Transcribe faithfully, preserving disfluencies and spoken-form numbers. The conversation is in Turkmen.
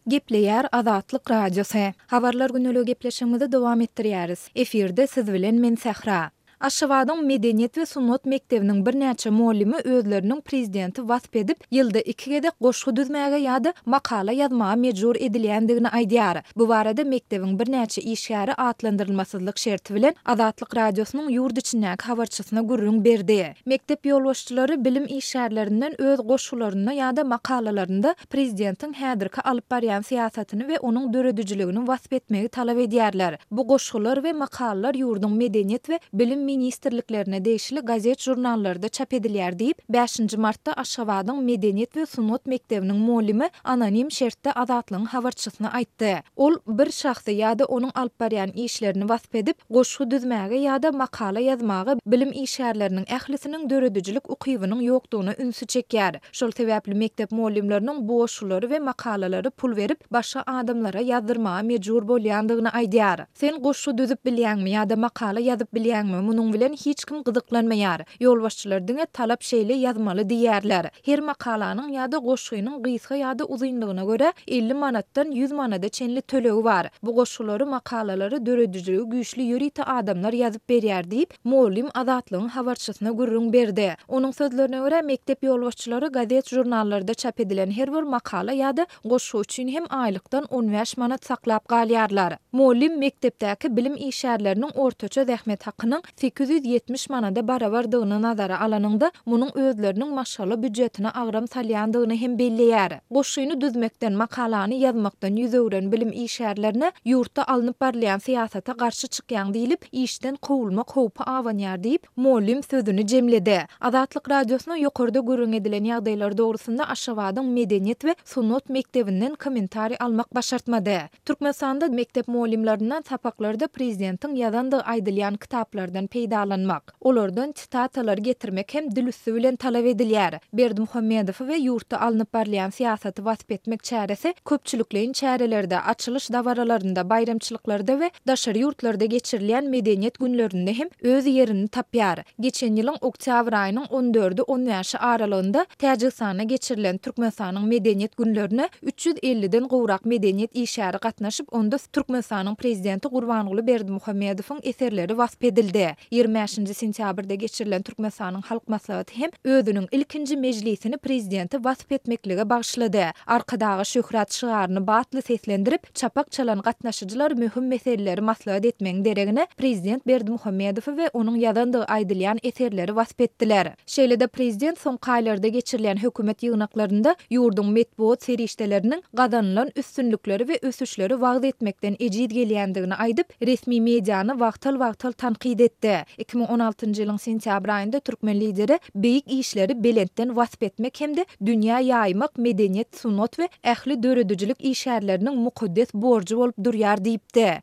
Gepleýär Azatlyk Radiosy. Habarlar gündeligi gepleşigimizi dowam etdirýäris. Efirde siz bilen men Sähra. Aşgabadyň Medeniýet we sungat mekdebiniň birnäçe mugallymy özleriniň prezidenti wasp edip, ýylda iki gezek goşgy düzmäge ýa-da makala ýazmaga mejbur edilýändigini aýdýar. Bu barada mekdebiň birnäçe işgäri atlandyrylmasyzlyk şerti bilen Azatlyk Radiosynyň ýurt içindäki habarçysyna gürrüň berdi. Mekdep ýolbaşçylary bilim işgärlerinden öz goşgularynda ýa-da makalalarynda prezidentiň häzirki alyp barýan syýasatyny we onuň döredijiligini wasp etmegi talap edýärler. Bu goşgular we makalalar ýurduň Medeniýet we Bilim ministrliklerine degişli gazet-žurnallarda çap edilýär diýip, bäşinji martda Aşgabadyň Medeniýet we sungat mekdebiniň mugallymy anonim şertde Azatlygyň habarçysyna aýtdy. Ol bir şahsy ýa-da onuň alyp barýan işlerini wasp edip, goşgy düzmäge ýa-da makala ýazmaga bilim işgärleriniň ählisiniň döredijilik ukybynyň ýokdugyna ünsi çekýär. Şol sebäpli mekdep mugallymlarynyň bu goşgulary we makalalary pul berip, başga adamlara ýazdyrmaga mejbur bolýandygyny aýdýar. Sen goşgy düzüp bilýäňmi ýa-da makala ýazyp bilýäňmi, munuň bilen hiç kim gyzyklanmaýar. Ýolbaşçylar diňe talap şeýle ýazmaly diýýärler. Her makalanyň ýa-da goşgynyň gysga ýa-da uzynlygyna görä elli manatdan ýüz manada çenli tölegi bar. Bu goşgulary, makalalary döredijiligi güýçli ýörite adamlar ýazyp berýär diýip, mugallym Azatlygyň habarçysyna gürrüň berdi. Onuň sözlerine görä, mekdep ýolbaşçylary gazet-žurnallarda çap edilen her bir makala ýa-da goşgy üçin hem aýlykdan on bäş manat saklap galýarlar. Mugallym mekdepdäki bilim işgärleriniň ortaça zähmet hakynyň sekiz ýüz ýetmiş manada barabardygyny nazara alanyňda, munuň özleriniň maşgala býujetine agram salýandygyny hem belleýär. Goşgyny düzmekden, makalany ýazmakdan ýüz öwren bilim işgärlerine ýurtda alnyp barylýan syýasata garşy çykýaň diýlip, işden kowulmak howpy abanýar diýip, mugallym sözüni jemledi. Azatlyk Radiosyna ýokarda gürrüň edilen ýagdaýlar dogrusynda Aşgabadyň Medeniýet we sungat mekdebinden kommentariý almak başartmady. Türkmenistanda mekdep mugallymlaryndan sapaklarda prezidentiň ýazandygy aýdylýan kitaplardan peýdalanmak, olardan sitatalar getirmek hem dil üsti bilen talap edilýär. Berdimuhamedowy we ýurtda alnyp barylýan syýasaty wasp etmek çäresi köpçülikleýin çärelerde, açylyş dabaralarynda, baýramçylyklarda we daşary ýurtlarda geçirilýän medeniýet günlerinde hem öz ýerini tapýar. Geçen ýylyň oktýabr aýynyň on dördi on bäşi aralygynda Täjigistanda geçirilen Türkmenistanyň medeniýet günlerine üç ýüz elliden gowrak medeniýet işgäri gatnaşyp, onda Türkmenistanyň Prezidenti Gurbanguly Berdimuhamedowyň eserleri wasp edildi. Ýigrimi bäşinji sentýabrda geçirilen Türkmenistanyň Halk Maslahaty hem özüniň ilkinji mejlisini Prezidenti wasp etmeklige bagyşlady. Arkadaga şöhrat şygaryny batly seslendirip, çapak çalan gatnaşyjylar möhüm meseleleri maslahat etmegiň deregine Prezident Berdimuhamedowy we onuň ýazandygy aýdylýan eserleri wasp etdiler. Şeýle-de prezident soňky aýlarda geçirilýän hökümet ýygnaklarynda ýurduň metbugat serişdeleriniň gazanylan üstünlikleri we ösüşleri wagyz etmekden ejiz gelýändigini aýdyp, resmi mediany wagtal-wagtal tankyt etdi. Iki müň on altynjy ýylyň sentýabr aýynda türkmen lideri beýik işleri belentden wasp etmek hem-de dünýä ýaýmak medeniýet, sungat we ähli döredijilik işgärleriniň mukaddes borjy bolup durýar diýipdi.